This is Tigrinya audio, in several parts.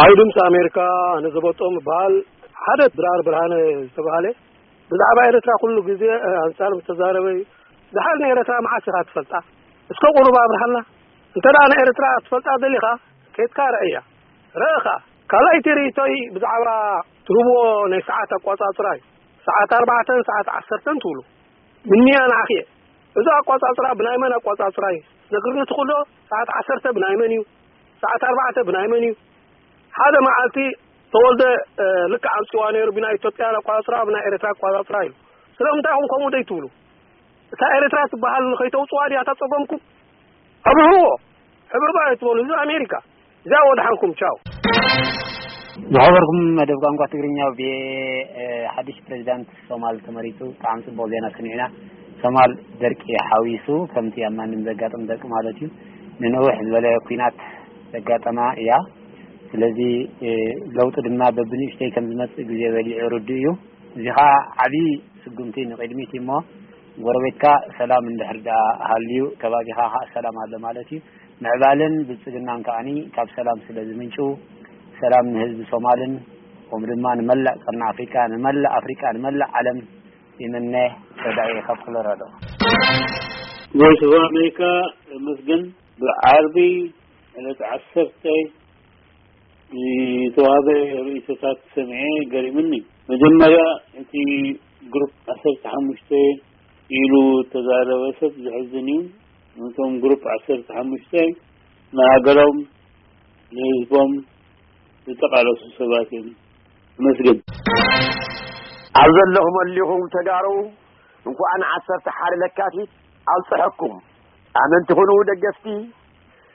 ኣብ ድምፂ ኣሜሪካ ነዘበጦም በሃል ሓደ ድራር ብርሃነ ዝተባሃለ ብዛዕባ ኤርትራ ኩሉ ግዜ ኣንፃር ዝተዛረበ እዩ። ድሓር ንኤርትራ መዓስ ኢኻ ትፈልጣ? እስከ ቁሩብ ኣብርሃልና። እንተ ደኣ ንኤርትራ ትፈልጣ ደሊኻ፣ ኬድካ ረእያ። ረእኻ። ካልኣይቲ ርእይቶይ ብዛዕባ ትህብዎ ናይ ሰዓት ኣቋጻጽራ እዩ። ሰዓት ኣርባዕተን ሰዓት ዓሰርተን ትብሉ። ምንያ ንዓኺ እየ። እዚ ኣቋጻጽራ ብናይ መን ኣቋጻጽራ እዩ? ነግርኒ ትኽእሎ? ሰዓት ዓሰርተ ብናይ መን እዩ? ሰዓት ኣርባዕተ ብናይ መን እዩ? ሓደ መዓልቲ ተወልደ ልክዕ ኣምፅዋ ነይሩ። ብናይ ኢትዮጵያ ኣቋፅራ ብናይ ኤርትራ ኣቋፅራ እዩ። ስለምንታይ ኹም ከምኡ ደይ ትብሉ? እታ ኤርትራ ትበሃል ከይተውፅዋ ድያ እታ ፀገምኩም? ኣብርህዎ። ሕብርባ ኣይትበሉ። እዚ ኣሜሪካ እዚኣ ወድሓንኩም። ቻው። ዝኸበርኩም መደብ ቋንቋ ትግርኛ፣ ብሓድሽ ፕሬዚዳንት ሶማል ተመሪፁ። ብጣዕሚ ፅቡቅ ዜና ሰሚዕና። ሶማል ደርቂ ሓዊሱ፣ ከምቲ ኣብ ማንም ዘጋጥም ደርቂ ማለት እዩ፣ ንነውሕ ዝበለ ኩናት ዘጋጠማ እያ። ስለዚ ለውጢ ድማ በብንእሽተይ ከም ዝመፅእ ግዜ በሊዑ ርዱእ እዩ። እዚ ከዓ ዓብዪ ስጉምቲ ንቅድሚት እዩ። እሞ ጎረቤትካ ሰላም እንድሕር ደኣ ሃልዩ፣ ከባቢኻ ከዓ ሰላም ኣሎ ማለት እዩ። ምዕባለን ብልፅግናን ከዓኒ ካብ ሰላም ስለ ዝምንጩ፣ ሰላም ንህዝቢ ሶማልን፣ ከምኡ ድማ ንመላእ ቀርኒ ኣፍሪቃ፣ ንመላእ ኣፍሪቃ፣ ንመላእ ዓለም ይምነ። ረዳኢ ካብ ኮሎራዶ። ቮይስ ኦፍ ኣሜሪካ፣ መስገን። ብዓርቢ ዕለት ዓሰርተ ዝተዋህበ ርእይቶታት ሰሚዐ፣ ገሪምኒ። መጀመርያ እቲ ግሩፕ ዓሰርተ ሓሙሽተ ኢሉ ተዛረበ ሰብ ዘሕዝን እዩ። ነቶም ግሩፕ ዓሰርተ ሓሙሽተ ንሃገሮም ንህዝቦም ዝተቃለሱ ሰባት እዮም። መስገን። ኣብ ዘለኹም ኣሊኹም ተጋሩ፣ እንኳዕ ንዓሰርተ ሓደ ለካቲት ኣብፀሐኩም። ኣመንቲ ኩኑ ደገፍቲ፣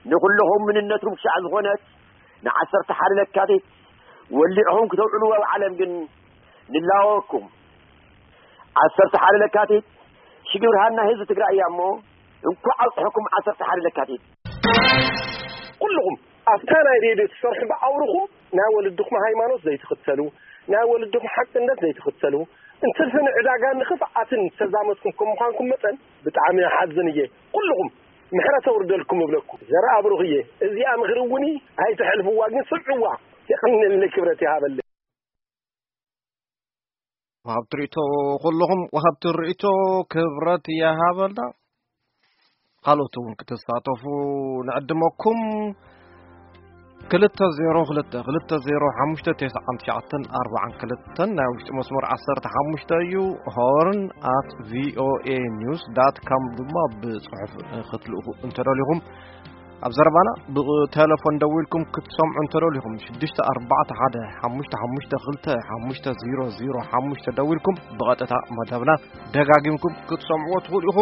ንኩልኹም ምንነትኩም ክሻዕ ዝኾነት ንዓሰርተ ሓደ ለካቲት ወሊዕኹም ክተውዕልዎ ኣብ ዓለም ግን ንላወኩም። ዓሰርተ ሓደ ለካቲት ሽግብርሃን ናይ ህዝቢ ትግራይ እያ እሞ፣ እንኳዕ ኣብፀሐኩም ዓሰርተ ሓደ ለካቲት። ኩልኹም ኣብታ ናይ ሬድዮ ትሰርሑ ብኣውርኹም ናይ ወለድኹም ሃይማኖት ዘይትኽተሉ፣ ናይ ወለድኹም ሓቅነት ዘይትኽተሉ፣ እንትርፊ ንዕዳጋን ንኽፍኣትን ዝተዛመትኩም ከም ምዃንኩም መጠን ብጣዕሚ እሓዝን እየ። ኩልኹም ምሕረት ኣውርደልኩም እብለኩም። ዘርኣ ብሩኽ እየ። እዚኣ ምኽሪ እውን ኣይትሕልፍዋ፣ ግን ስምዕዋ። የቐንየለይ፣ ክብረት ይሃበለይ። ወሃብቲ ርእይቶ ኩልኹም፣ ወሃብቲ ርእይቶ ክብረት ይሃበልና። ካልኦት እውን ክትሳተፉ ንዕድመኩም። ክልተ ዜሮ ክልተ ክልተ ዜሮ ሓሙሽተ ተስዓን ትሽዓተን ኣርባዓን ክልተን ናይ ውሽጢ መስመር ዓሰርተ ሓሙሽተ እዩ። ሆርን ኣት ቪኦኤ ኒውስ ዳት ካም ድማ ብጽሑፍ ክትልእኹ እንተደሊኹም፣ ኣብ ዘረባና ብቴሌፎን ደዊልኩም ክትሰምዑ እንተደሊኹም፣ ሽዱሽተ ኣርባዕተ ሓደ ሓሙሽተ ሓሙሽተ ክልተ ሓሙሽተ ዜሮ ዜሮ ሓሙሽተ ደዊልኩም ብቐጥታ መደብና ደጋጊምኩም ክትሰምዕዎ ትኽእሉ ኢኹም።